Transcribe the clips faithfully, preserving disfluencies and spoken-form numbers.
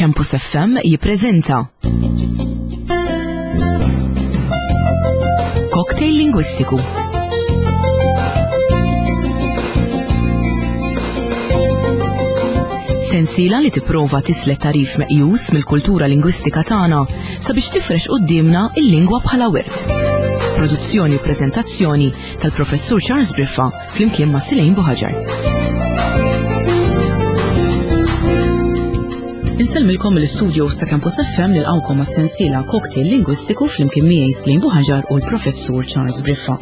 Campus F M jippreżenta Cocktail Lingwistiku. Sensiela li tipprova tislet tarif meqjus mill-kultura lingwistika tagħna sabiex tifrex quddiemna il-lingwa bħala wirt. Produzzjoni u preżentazzjoni tal-Professur Charles Briffa flimkien ma' Silejn Buħaġar. Insellmilkom mill-istudio ta' Campus F M, nilqawkom għas-sensiela Cocktail Lingwistiku flimkien miegħi Slim Buħaġar u l-Professur Charles Briffa.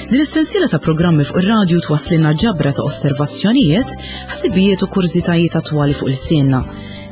Din is-sensiela ta' programmi fuq ir-radju twasslilna ġabra ta' osservazzjonijiet, ħsibijiet u kurżitajiet attwali fuq il-sienna.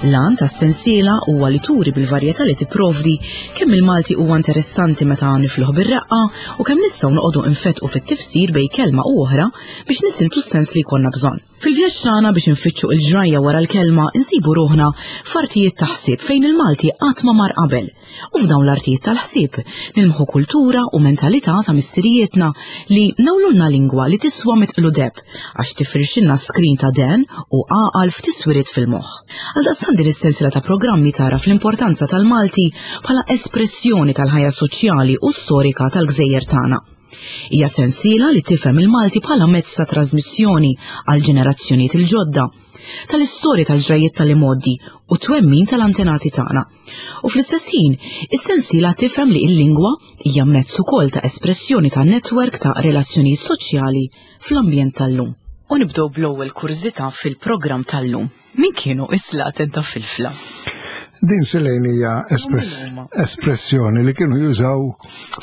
L-għan tas-sensiela huwa li turi bil-varjetà li tipprovdi kemm il-Malti huwa interessanti meta nifluħ bir-reqqa u kemm nistgħu noqogħdu nfetqu fit-tifsir bejn kelma u oħra biex nisiltu s-sens li jkollna bżonn. Fil-vjaġġ tagħna biex infittxu il-ġrajja wara l-kelma, insibu ruħna f'artijiet ta' ħsieb fejn il-Malti qatt ma mar qabel. U f'dawn l-artijiet tal-ħsieb nilmħu kultura u mentalità ta' missirijietna li nawlulna lingwa li tiswa mitqlu deb għax tifirxilna skrin ta' den u għaqal f'tiswiriet fil-moħħ. Għaldaqstant din is-sensiela ta' programmi tara fl-importanza tal-Malti bħala espressjoni tal-ħajja soċjali u storika tal-gżejjer tagħna. Hija sensiela li tifhem il-Malti bħala mezz ta' trasmissjoni għal ġenerazzjonijiet il-ġodda, tal-istorja tal-ġrajiet tal-imoddi u twemmin tal-antenati tagħna. U fl-istess ħin, is-sensiela tifhem li l-lingwa hija mezz ukoll ta' espressjoni ta' netwerk ta' relazzjonijiet soċjali fl-ambjent tal-lum. U nibdew bl-ewwel kurżità fil-programm tal-lum. Min kienu is-slaten ta' Filfla? Din, Silejn, hija espress espressjoni li kienu jużaw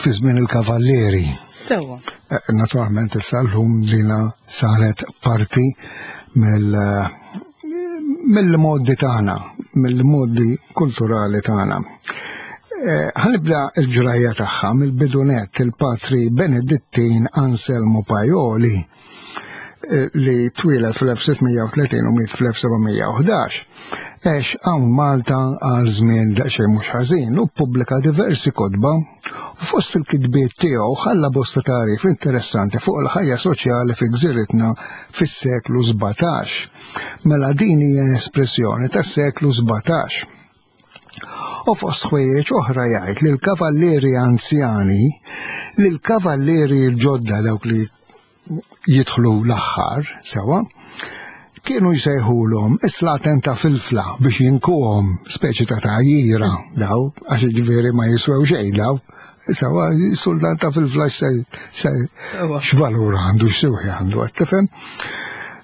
fi żmien il-kavallieri. Sewa. Eh, Naturalment issa llum dina saret parti mill mill-modi tagħna, mill-modi kulturali tagħna. Eh, Ħa nibda il-ġrajja tagħha mill-bidunet. Il-patri Benedittin Anselmo Pajoli eh, li twieled fl-elf sitt mija u tletin u miet fl-elf seba' mija u ħdax. Għex hawn Malta għal żmien daqsxejn mhux ħażin u ppubblika diversi kotba, u fost il-kitbiet tiegħu ħalla bosta tarif interessanti fuq il-ħajja soċjali fi gżiritna fis-seklu sbatax. Mela din hija espressjoni tas-seklu sbatax. U fost ħwejjeġ oħra jgħid li l-kavallieri anzjani, li l-kavallieri l-ġodda, dawk li jidħlu l-aħħar, sewa, kienu jsejħulhom is-slaten ta' Filfla biex jinkuhom, speċi ta' tgħajjira daw, għax ġifieri ma jiswew xejn daw. Sewa, sultan ta' Filfla Sewa. x'valur għandu, x'siwi għandu, qed tifhem?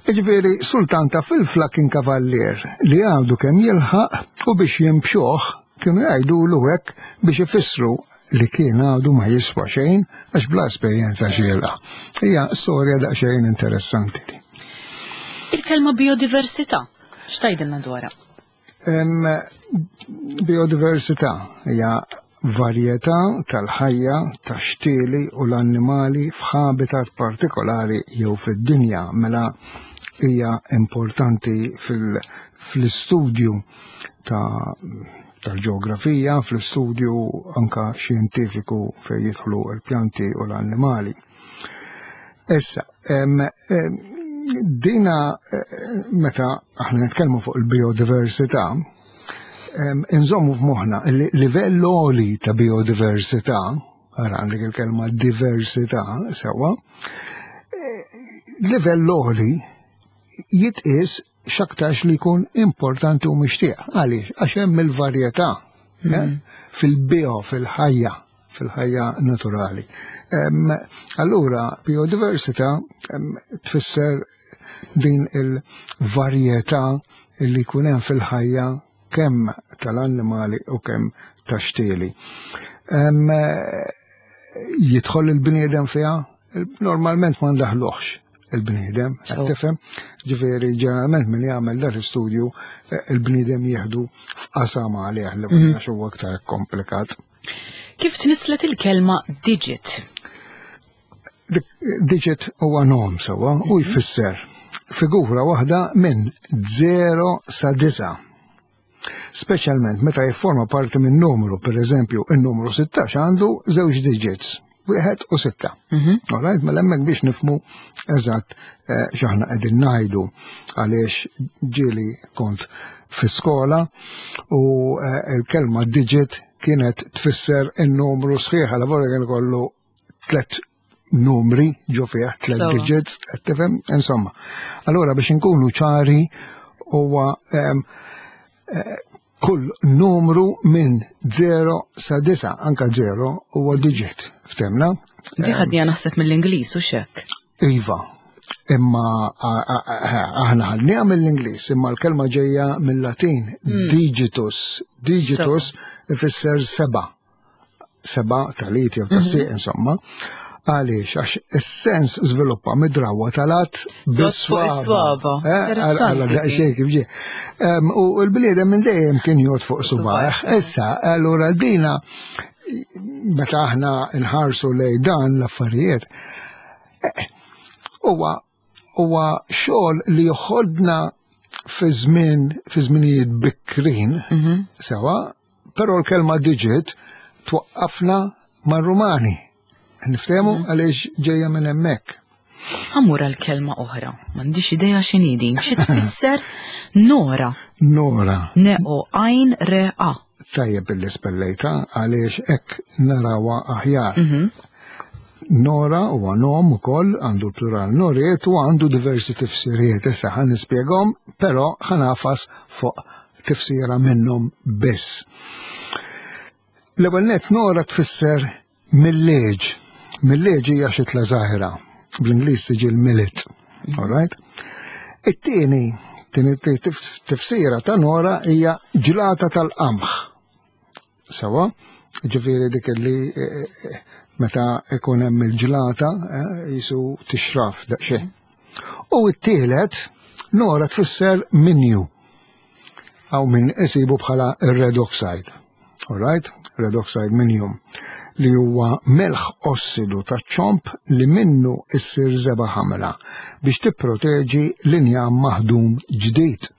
Ġifieri, sultan ta' Filfla kien kavallier li għandu kemm jilħaq u biex jimbxuh kienu jgħidulu hekk biex ifissru li kien għadu ma jiswa xejn għax bla esperjenza xiela. Hija storja daqsxejn interessanti di. Il-kelma biodiversità, x'tgħidilna dwarha? Em, biodiversità hija varjetà tal-ħajja tax-xtieli u l-annimali f'habitat partikolari jew fid-dinja. Mela hija importanti fil- fl-istudju ta' tal-ġeografija, fl-istudju anka xjentifiku fejn jidħlu l-pjanti u l-annimali. Issa, em, em, dina eh, meta aħna nitkellmu fuq il-biodiversità, em, inżommu f'moħħna li livell għoli ta' biodiversità, ara għandek il-kelma diversità, sewa, eh, livell għoli jitqis x'aktarx li jkun importanti u mixtieq. Għaliex? Għax hemm il-varjetà eh, fil-bio, fil-ħajja, fil-ħajja naturali. Em, Allura, biodiversità em, tfisser din il-varjetà li jkun hemm fil-ħajja kemm tal-annimali u kemm tax-xtieli. Em, Jidħol il-bniedem fiha? Normalment ma ndaħluħx il-bniedem, So. tifhem? Ġifieri ġeneralment min jagħmel dan l-istudju eh, il-bniedem jieħdu f'qasam għalih li ma huwa aktar komplikat. Kif tnislet il-kelma digit? Dik- Digit huwa nom, sewa, u jfisser figura waħda minn zero sa disgħa. Speċjalment meta jifforma parti minn numru, per eżempju, il-numru sittax għandu żewġ digits, wieħed u sitta. Alright, mela hemmhekk biex nifhmu eżatt eh, x'aħna qegħdin ngħidu, għaliex ġieli kont fi skola u eh, il-kelma digit kienet tfisser il-numru sħiħ, għal vorja kien kollu tlet numri ġo fih, tlet digits, qed tifhem? Insomma. Allura biex inkunu ċari huwa eh, kull numru minn zero sa disa, anka zero huwa digit, ftemna? Di ħadnija naħseb mill-Ingliż u xek. Iva, imma aħna ħadniha mill-Ingliż, imma l-kelma ġejja mill-Latin, mm. digitus. Digitus ifisser seba. Seba tal-it jew tas-sieq, mhm. insomma. Għaliex, għax is-sens żviluppa mid-drawwa tal-att bis-swaba. Eh, daqsxejn kif ġie. U l-bniedem minn dejjem kien jgħod fuq subaħ. Issa, allura dina meta aħna nħarsu lej dan l-affarijiet, eh, huwa huwa xogħol li joħodna fi żmien fi żminijiet bikrin, mhm. sewa, però l-kelma digit twaqqafna mar-Rumani. Niftehmu mhm. għaliex ġejja minn hemmhekk. Ħammur għal kelma oħra, m'għandix idea x'inhi din, xi tfisser nora. Nora. Neo għajn re a. Tajjeb billi spellejta għaliex hekk narawha aħjar. Mhm. Nora huwa nom ukoll għandu l-plural noriet u għandu diversi tifsiriet. Issa ħan nispjegahom, però ħa nagħfas fuq tifsira minnhom biss. L-ewwel net nora tfisser milleġ. Milleġ hija xitla żgħira. Bl-Ingliż tiġi l-millet. All right? It-tieni tieni tifsira ta' nora hija ġlata tal-qamħ. Sewa, ġifieri dik li eh, eh, meta ikun hemm il-ġlata eh, jisu tixraf daqsxejn. U t-tielet nora tfisser minju. Aw min isibu bħala red oxide. All right? Red oxide minium li huwa melħ ossidu ta' ċomp li minnu issir żebgħa ħamra biex tipproteġi l-injam maħdum ġdid.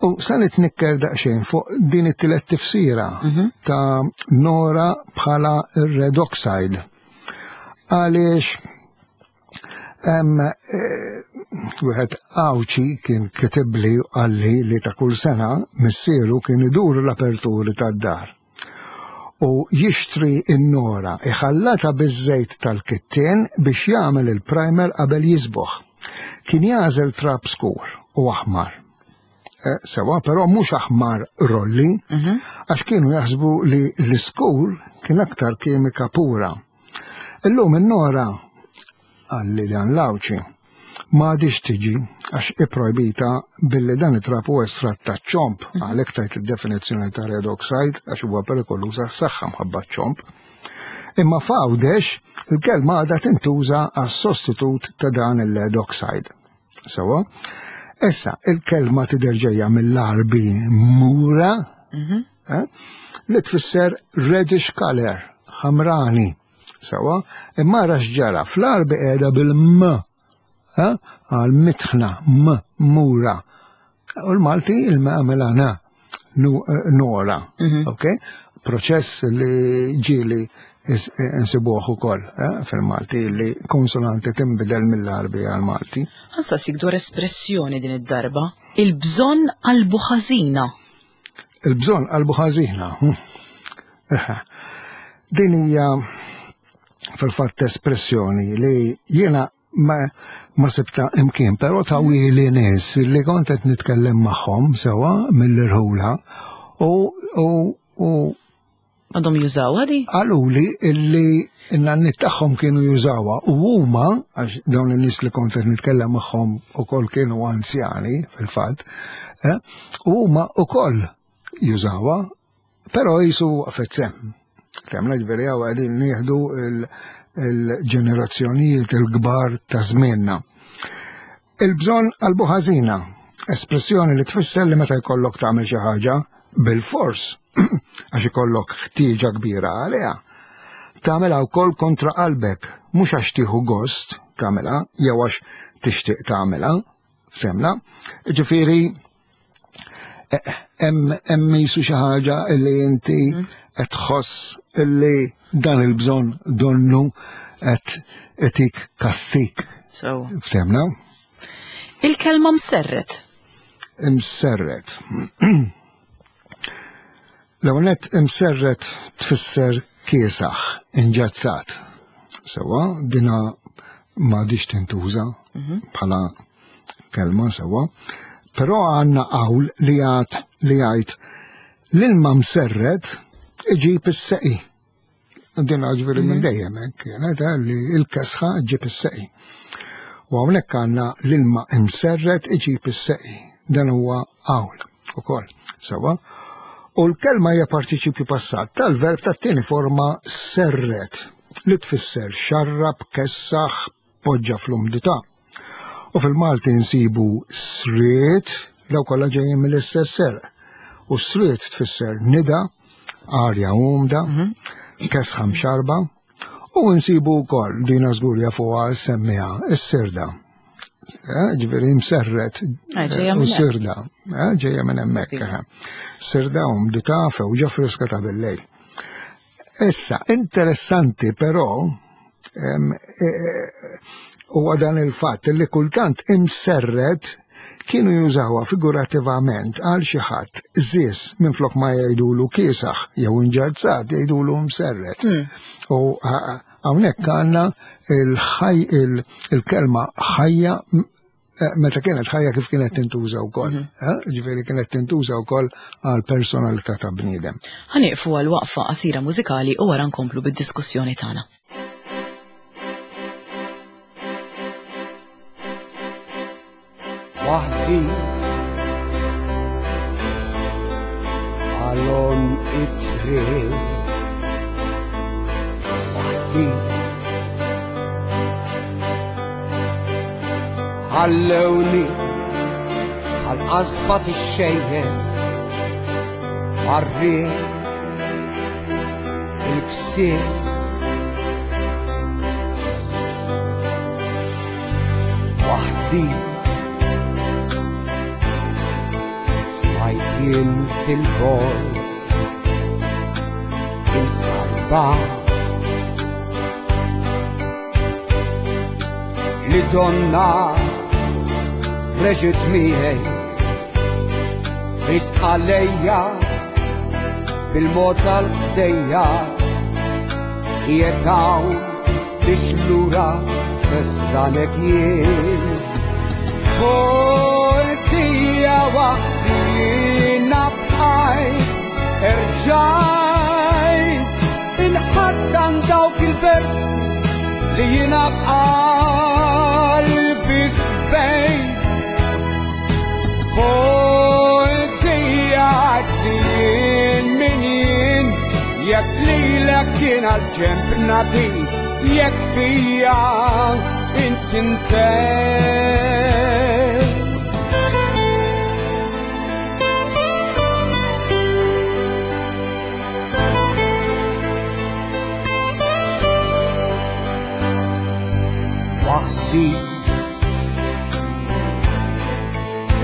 U sa nitnikker daqsxejn fuq din it-tielet tifsira mhm. ta' nora bħala red oxide. Għaliex hemm eh, wieħed Għawdxi kien kitibli u qalli li ta' kull sena missieru kien idur l-aperturi tad-dar u jixtri n-nora iħallata biż-żejt tal-kittien biex jagħmel il-primer qabel jiżboħ. Kien jagħżel trab skur u aħmar. Eh, sewa, però mhux aħmar rolli, mhm. għax kienu jaħsbu li l-iskur kien aktar kimika pura. Illum in-nora qalli dan l-Għawdxi ma għadix tiġi għax iprojbita billi dan it-trab huwa estratt ta' ċomp, mhm. għalhekk tajt id-definizzjoni ta' red oxide għax huwa perikoluż għas-saħħa mħabba ċomp. Imma f'Għawdex il-kelma għadha tintuża għas sostitut ta' dan il-lead oxide. Sewa, issa il-kelma tidher ġejja mill-Arbi mura, mhm. eh, li tfisser reddish color, ħamrani. Sewa, imma ra x'ġara fl-Arbi qiegħda bil-m għal mitħna, m, mura. U l-Malti il-m għamela na, nora. Mhm. Ok? Proċess li ġieli nsibuh ukoll eh, fil-Malti li konsonanti tinbidel mill-Arbi għal-Malti. Ħa nsaqsik dwar espressjoni din id-darba. Il-bżonn qalbu ħażina. Il-bżonn qalbu ħażina. Hm. Din hija fil-fatt espressjoni li jiena ma, ma sibta imkien, però ta' wili nies li kont qed nitkellem magħhom sewa mill-irħula u u u Għadhom jużawha di? Qaluli illi n-nanniet tagħhom kienu jużawha u huma għax dawn in-nies li kont qed nitkellem magħhom ukoll kienu anzjani fil-fatt, eh, u huma ukoll jużawha, però jisu waqfet semm. Temna ġifieri hawn qegħdin nieħdu il-ġenerazzjonijiet il-kbar ta' żmienna. Il-bżonn qalbu ħażina, espressjoni li tfisser li meta jkollok tagħmel xi ħaġa bil-fors, għax ikollok ħtieġa kbira għaliha. Tagħmilha wkoll kontra qalbek, mhux għax tieħu gost tagħmilha jew għax tixtieq tagħmilha, ftemna. Ġifieri hemm jisu xi ħaġa li inti mhm. qed tħoss illi dan il-bżonn donnu qed itik kastik. Ftemna? Il-kelma mserret. Imserret. L-ewwel nett imserret tfisser kiesaħ, inġazzat. Sewa, dina m'għadix tintuża bħala kelma sewa, però għandna qawl li jgħid li jgħid l-ilma mserret iġib is-seqi. Din ġifieri minn dejjem hekk kienet li l-kesħa ġib is-seqi. U hawnhekk għandna l-ilma imserret iġib is-seqi. Dan huwa qawl ukoll. Sewa. U l-kelma hija partiċipju passat tal-verb tat-tieni forma serret li tfisser xarrab, kessaħ, poġġa fl-umdità. U fil-Malti nsibu sriet, daw kollha ġejjin mill-istess serq. U sriet tfisser nida, arja umda, kesħa mxarba, u nsibu wkoll dina żgur jafuha semmiha is-sirda. Ġifieri mserret ġejja u minn hemm. sirda, ġejja minn hemmhekk. Sirda umdità fewġa friska ta' bil-lejl. Issa, interessanti però, huwa dan il-fatt li kultant imserret kienu jużawha figurativament għal xi ħadd żis minflok ma jgħidulu kiesaħ jew inġazzat jgħidulu mserret. U hawnhekk għandna il-kelma ħajja meta kienet ħajja kif kienet tintuża wkoll. Ġifieri kienet tintuża wkoll għal personalità ta' bniedem. Ħanieqfu għal waqfa qasira mużikali u wara nkomplu bid-diskussjoni tagħna. Waħdi għalon it-triq, waħdi ħallewni għal-qasba tixxejjen għar-riħ il-ksieħ. Waħdi smajt jien fil-bogħod il-qalba li donna reġgħet miegħi risq għalejja bil-mod tal-ħdejja qiegħed hawn biex lura f'danek jien. Poezija waħdi jiena bqajt, erġajt inħaddan dawk il-versi li jiena b'qalbi ħbejt. Poezija għaddi jien min jien, jekk lilek kien għal-ġenb nagħtik, jekk fija inti ntemm. Waħdi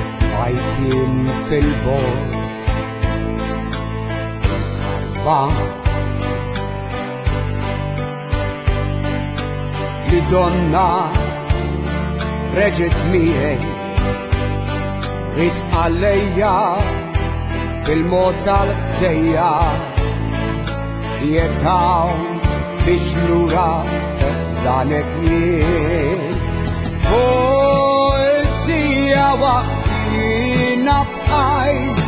smajt jien fil-bogħod il-karba li donna reġgħet miegħi risq għalejja bil-mod tal-ħdejja qiegħed hawn biex lura f'danek jien. Poezija waħdi jiena bqajt,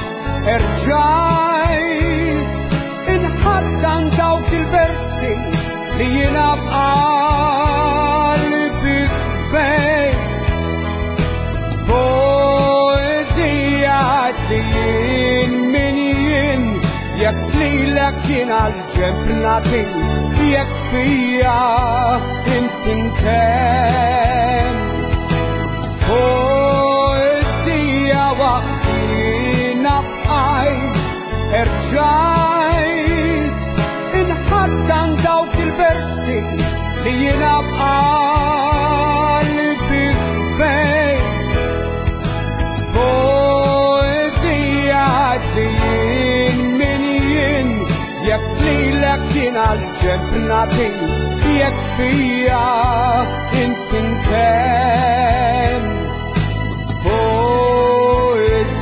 erġajt inħaddan dawk il-versi li jiena b'qalbi ħbejt. Poezija għaddi jien min jien, jekk lilek kien għal-ġenb nagħtik, jekk fija inti ntemm. Poezija waħdi jiena bqajt, erġajt inħaddan dawk il-versi li jiena b'qalbi ħbejt. Poezija għaddi jien min jien, jekk lilek kien għal-ġenb nagħtik, jekk fija inti ntemm. Poezija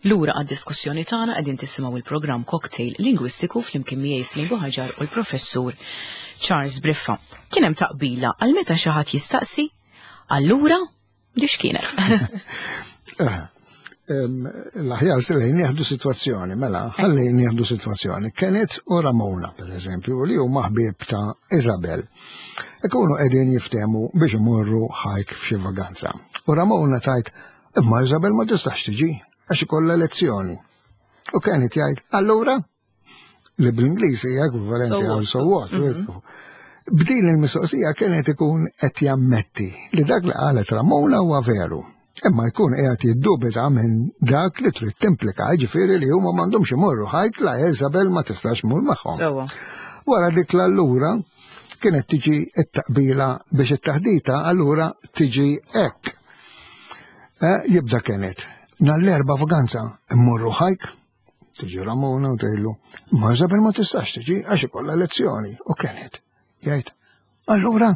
Lura għad-diskussjoni tagħna qegħdin tisimgħu il-programm Cocktail Lingwistiku flimkien miegħi Celine Buhagiar u l-professur Charles Briffa. Kien hemm taqbila għal meta xi ħadd jistaqsi, allura di x'kienet? Eh, l-aħjar Celine nieħdu sitwazzjoni, mela, ħalli nieħdu sitwazzjoni. Kenneth u Ramona, per eżempju, li huma ħbieb ta' Isabel. Ikunu qegħdin jiftehmu biex imorru hike f'xi vaganza. U Ramona tgħid, imma Isabel ma tistax tiġi, għax ikollha lezzjoni. U Kenneth jgħid, allura? Li bl-Ingliż hija ekwivalenti għal so what. Mhm. B'din il-mistoqsija kienet ikun qed jammetti li dak li qalet Ramona huwa veru. Imma jkun qiegħed jiddubita minn dak li trid timplika, ġifieri li huma m'għandhomx imorru hike la Isabel ma tistax mur magħhom. Wara dik l-allura kienet tiġi it-taqbila biex it-taħdita allura tiġi hekk. Eh, jibda kienet nhar l-Erbgħa vaganza immorru hike, tiġi Ramona u tgħidlu, ma Isabel ma tistax tiġi għax ikollha lezzjoni. U kienet, jgħid, allura,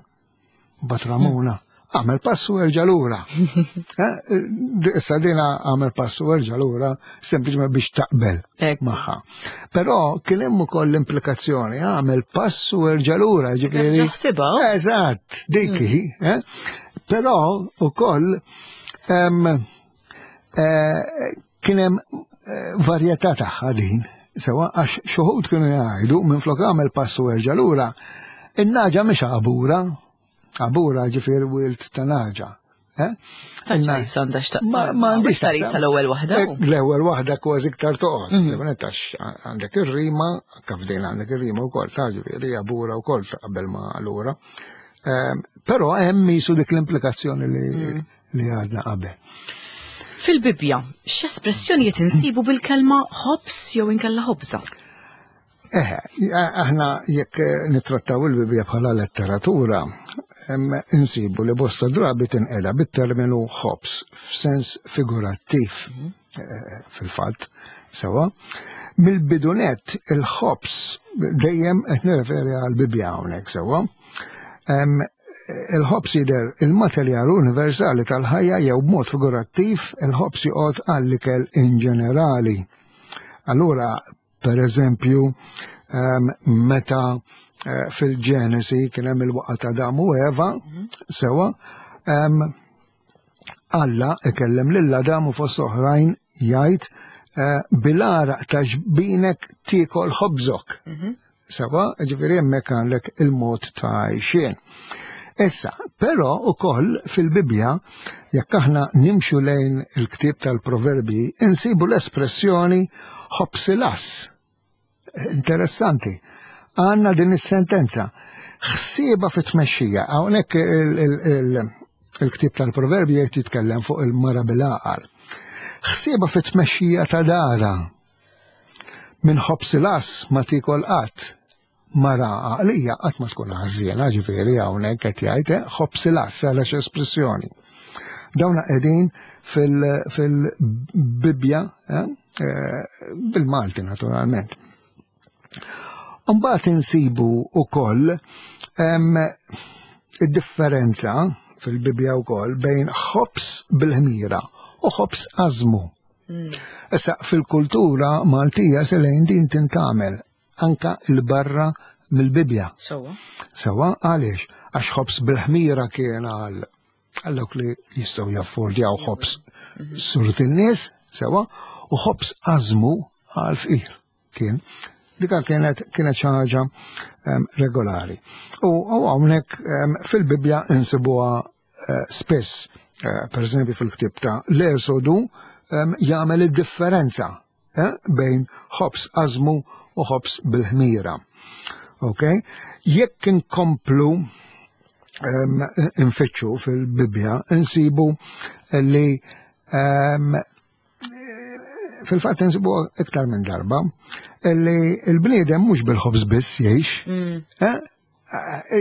bat Ramona, għamel passu erġa' lura. Eh, issa dina għamel passu erġa' lura sempliċement biex taqbel magħha. Però kien hemm ukoll l-implikazzjoni, għamel passu erġa' lura, ġifieri. Eżatt, dik hi. Mm. Eh? Però ukoll eh, kien hemm varjetà tagħha din, sewa għax xi wħud kienu jgħidu minn flok għamel passu erġa' lura, in-nagħġa mhix għabura, għabura ġifieri wild ta' nagħġa. Eh? Ma għandix tarisa l-ewwel waħda. Eh, l-ewwel waħda kważi iktar toqgħod. Mhm. Għax għandek ir-rima, kif din għandek ir-rima wkoll ta' ġifieri għabura wkoll qabel ma lura. Ehm, però hemm misu dik l-implikazzjoni li mhm. li għadna qabel. Fil-Bibja, x'espressjonijiet insibu bil-kelma ħobż jew inkella ħobża? Eh, aħna jekk nittrattaw il-Bibja bħala letteratura, insibu li bosta drabi tinqeda bit-terminu ħobż f'sens figurattiv mhm. eh, fil-fatt, sewa. Mill-bidunet il-ħobż dejjem qed nirreferi għal-Bibja hawnhekk sewa. Il-ħobż jidher il-materjal universali tal-ħajja jew b'mod figurattiv il-ħobż joqgħod għall-ikel in ġenerali. Allura, per eżempju, meta eh, fil-Ġenesi kien hemm il-waqgħa ta' Adam u Eva, mhm. sewa, Alla ikellem lil Adam u fost oħrajn jgħid eh, bil-għaraq ta' ġbinek tiekol ħobżok. Mhm. Sewa, ġifieri hemmhekk għandek il-mod ta' għajxien. Issa, però ukoll fil-Bibja, jekk aħna nimxu lejn il-ktieb tal-Proverbi, insibu l-espressjoni ħobż il-għażż. Interessanti. Għandna din is-sentenza. Ħsieba fit-tmexxija. Hawnhekk il-ktieb tal-Proverbi jgħid jitkellem fuq il-mara bil-għaqal. Ħsieba fit-tmexxija ta' dara. Minn ħobż il-għażż ma tikol qatt. Mara għaqlija qatt ma tkun ħażiena, ġifieri hawnhekk qed jgħid eh, ħobż il-għażż għal espressjoni. Dawna qegħdin fil-Bibja eh, eh, bil-Malti naturalment. Mbagħad insibu wkoll id-differenza fil-Bibja wkoll bejn ħobż bil-ħmira u ħobż ażmu. Mm. Issa fil-kultura Maltija selejn din tintamel anka il-barra mill-Bibja. Sewa. Sewa għaliex? Għax ħobż bil-ħmira kien għal għal dawk li jistgħu jaffordjaw ħobż mhm. suret in-nies, sewa, u ħobż ażmu għal fqir kien. Dika kienet kienet xi ħaġa um, regolari. U hawnhekk um, fil-Bibja insibuha uh, spiss, uh, per eżempju fil-ktieb ta' l-Esodu um, jagħmel id-differenza eh, bejn ħobż ażmu u ħobż bil-ħmira. Ok? Jekk inkomplu um, infittxu fil-Bibja, insibu li um, fil-fatt insibu iktar minn darba li l-bniedem mhux bil-ħobż biss jgħix. Mm. Eh?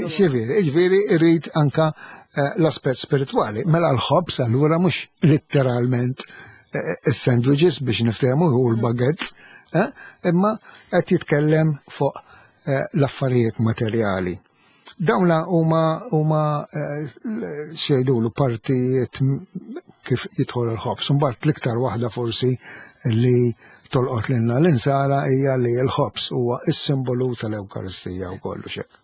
Ġifieri, ġifieri irrid anka eh, l-aspett spiritwali. Mela l-ħobż allura mhux letteralment eh, is-sandwiches biex niftehmu u l-baguettes, eh, imma qed jitkellem fuq l-affarijiet materjali. Dawna huma huma xejdulu partijiet kif jidħol il-ħobż. Imbagħad l-iktar waħda forsi li tolqot lilna l-insara hija li l-ħobż huwa s-simbolu tal-Ewkaristija u kollu xek.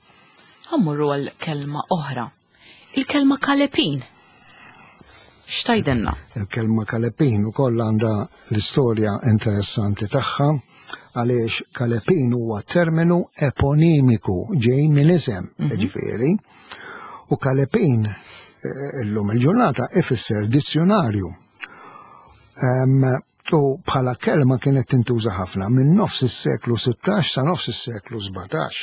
Ħa mmorru għal kelma oħra. Il-kelma kalepin. X'tgħidilna? Il-kelma kalepin ukoll għandha l-istorja interessanti tagħha, għaliex kalepin huwa terminu eponimiku ġej minn isem, ġifieri, u kalepin eh, illum il-ġurnata ifisser dizzjonarju. Em, U bħala kelma kienet tintuża ħafna minn nofs is-seklu sittax sa nofs is-seklu sbatax.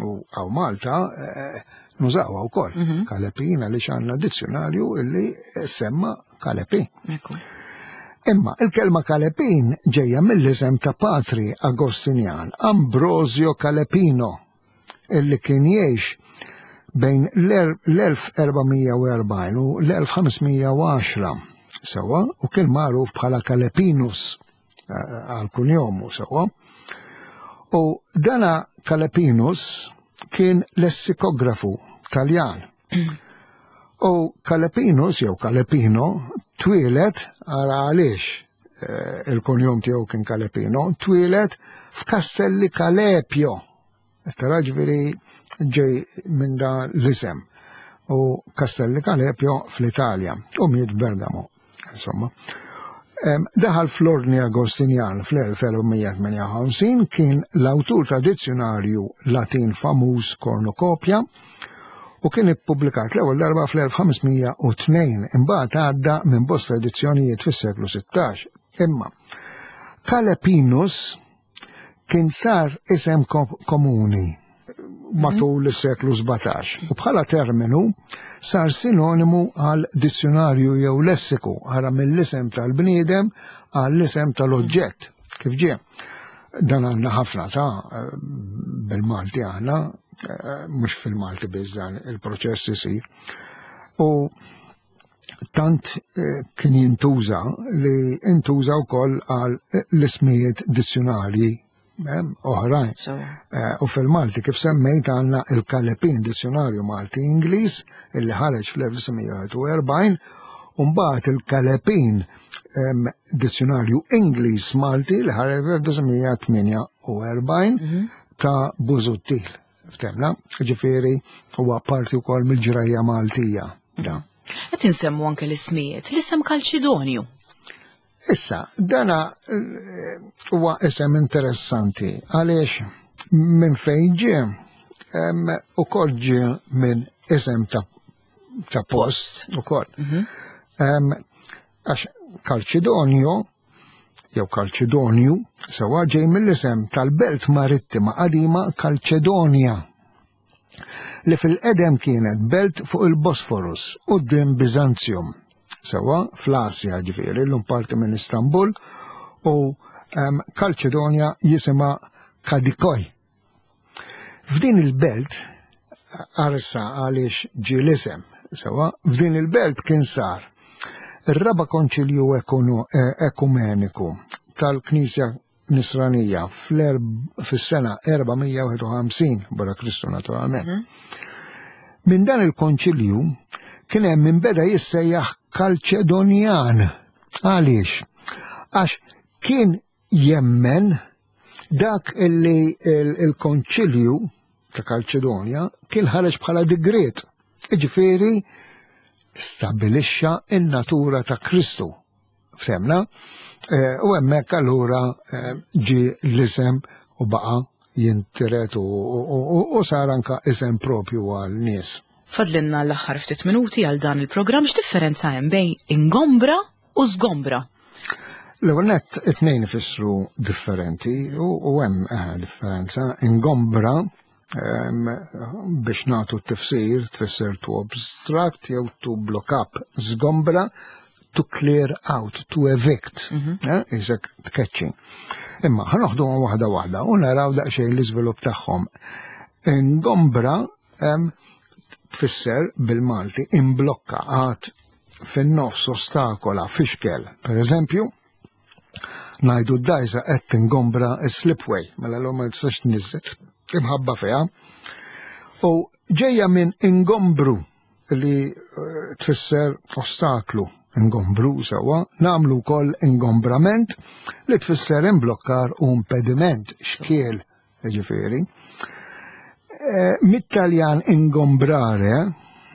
U hawn Malta eh, nużawha wkoll. Kalepin għaliex għandna dizzjonarju illi semma kalepin. Ekku. Imma il-kelma kalepin ġejja mill-isem ta' patri Agostinjan Ambrosio Calepino, illi kien jgħix bejn l-elf erba' mija u erbgħin u l-elf ħames mija u għaxra sewwa, u kien magħruf bħala Calepinus eh, għal kunjomu, sewwa. U dana Calepinus kien lessikografu Taljan. U Calepinus jew Calepino twieled, ara għaliex eh, il-kunjom tiegħu kien Calepino, twieled f'Castelli Calepio. Tara, ġifieri ġej minn da l-isem. U Castelli Calepio fl-Italja u miet Bergamo. Insomma. Em, Daħal fl-Ordni Agostinjan fl-elf erba' mija tmienja u ħamsin, kien l-awtur ta' dizzjonarju Latin famuż Cornucopia u kien ippubblikat l-ewwel darba fl-elf ħames mija u tnejn, imbagħad għadda minn bosta edizzjonijiet fis-seklu sittax. Imma Calepinus kien sar isem komuni matul is-seklu sbatax u bħala terminu sar sinonimu għal dizzjonarju jew lessiku, ara mill-isem tal-bniedem għall isem tal-oġġett. Kif ġie? Dan għandna ħafna ta' bil-Malti għandna, mhux fil-Malti biss dan il-proċess isir. U tant eh, kien jintuża li intuża wkoll għal l-ismijiet dizzjonarji oħrajn. Eh, u fil-Malti, kif semmejt, għandna il-Kalepin, dizzjonarju Malti Ingliż illi ħareġ fl-elf disa' mija u erbgħin, u mbagħad il-Kalepin, dizzjonarju Ingliż Malti li ħareġ fl-elf disa' mija tmienja u erbgħin mhm. ta' Busuttil. Ftemna, ġifieri huwa parti wkoll mill-ġrajja Maltija. Qed insemmu anke l-ismijiet, l-isem Kalċidonju. Issa, dana eh, huwa isem interessanti għaliex minn fejn ġie, ukoll ġie minn isem ta' ta' post ukoll. Mhm. Għax Kalċidonju jew Kalċidonju sewwa ġej mill-isem tal-belt marittima qadima Kalċedonja, li fil-qedem kienet belt fuq il-Bosforus quddiem Bizantium, sewwa, fl-Asja, ġifieri, l parti minn Istanbul, u um, Kalċedonja jisimha Kadikoj. F'din il-belt, arsa għaliex ġie l-isem, sewwa, f'din il-belt kien sar ir-raba konċilju eh, ekumeniku tal-Knisja Nisranija fis-sena erba' mija u wieħed u ħamsin wara Kristu naturalment. Mm -hmm. Minn dan il-konċilju kien hemm min beda jissejjaħ Kalċedonjan. Għaliex? Għax kien jemmen dak illi il-konċilju ta' Kalċedonja kien ħareġ bħala digriet. Iġifieri stabilixxa in-natura ta' Kristu. Ftemna? Eh, u hemmhekk allura eh, ġi l-isem u baqa jintiret u sar anka isem propju għal nies. Fadlinna l-aħħar ftit minuti għal dan il-programm. X'differenza hemm bejn ingombra u żgombra? L-ewwel nett, it-tnejn ifissru differenti u hemm eh, differenza. Ingombra, biex nagħtu t-tifsir, tfisser to obstruct jew to block up. Żgombra, to clear out, to evict, mhm. eh, isek tkeċċi. Imma ħa noħdu waħda waħda u naraw daqsxejn l-iżvilupp tagħhom. Ingombra tfisser bil-Malti imblokka, għad fin-nofs, ostakola, fixkel. Per eżempju, ngħidu d-dajsa qed tingombra s-slipway, mela l ma tistax tniżżel imħabba fiha. U ġejja minn ingombru li eh, tfisser ostaklu. ingombru sewwa, nagħmlu wkoll ingombrament li tfisser imblokkar u impediment, xkiel, ġifieri. Eh, Mit-Taljan ingombrare,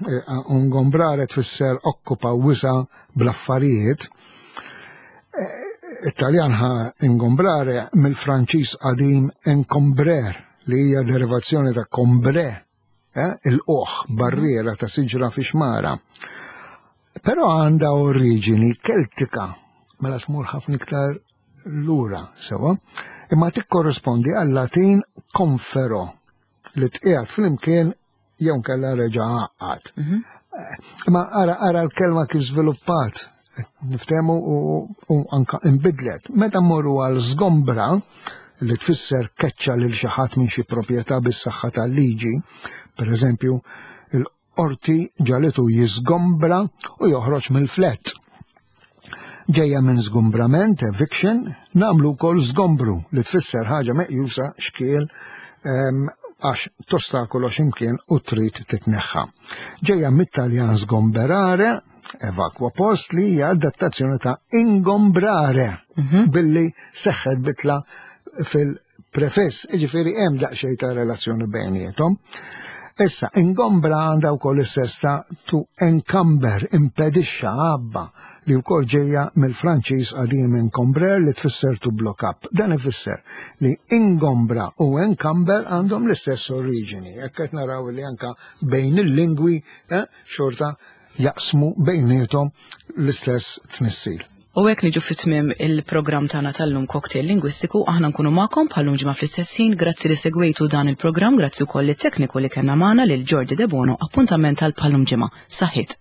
eh, ingombrare tfisser okkupa wisa bl-affarijiet, eh, Italjan ħa ingombrare mill-Franċiż qadim encombrer, li hija derivazzjoni ta' combre, eh, il-oħ, barriera ta' siġra fi xmara. Però għandha oriġini keltika, mela tmur ħafna iktar lura, sewa, imma tikkorrispondi għal-Latin confero, li tqiegħed flimkien jew nkella reġa' għaqqad. Imma ara ara l-kelma kif żviluppat, niftehmu u, u anka imbidlet. Meta mmorru għal żgombra, li tfisser keċċa lil xi ħadd minn xi proprjetà bis-saħħa tal-liġi, per eżempju, il-qorti ġagħlitu jiżgombra u joħroġ mill-flat. Ġejja minn żgumbrament, eviction, nagħmlu wkoll żgombru li tfisser ħaġa meqjusa xkiel em, għax tostakolo x'imkien u trid titneħħa. Ġejja mit-Taljan sgomberare, evakwa post, li hija adattazzjoni ta' ingombrare billi seħħet bitla fil-prefiss, ġifieri hemm daqsxejn ta' relazzjoni bejniethom. Issa, ingombra għandha wkoll is-sens ta' to encumber, impedixxa, għabba, li wkoll ġejja mill-Franċiż qadim encombrer li tfisser to block up. Dan ifisser li ingombra u encumber għandhom l-istess oriġini. Jekk qed naraw li anka bejn il-lingwi eh, xorta jaqsmu bejniethom l-istess tnissil. U hekk niġu fit-tmiem il-programm tagħna tal-lum, Cocktail Lingwistiku. Aħna nkunu magħkom bħal ġimgħa fl-istess ħin. Grazzi li segwejtu dan il-programm, grazzi wkoll lit-tekniku li kellna magħna, lil Jordi De Bono. Appuntament tal bħal ġimgħa. Saħħit.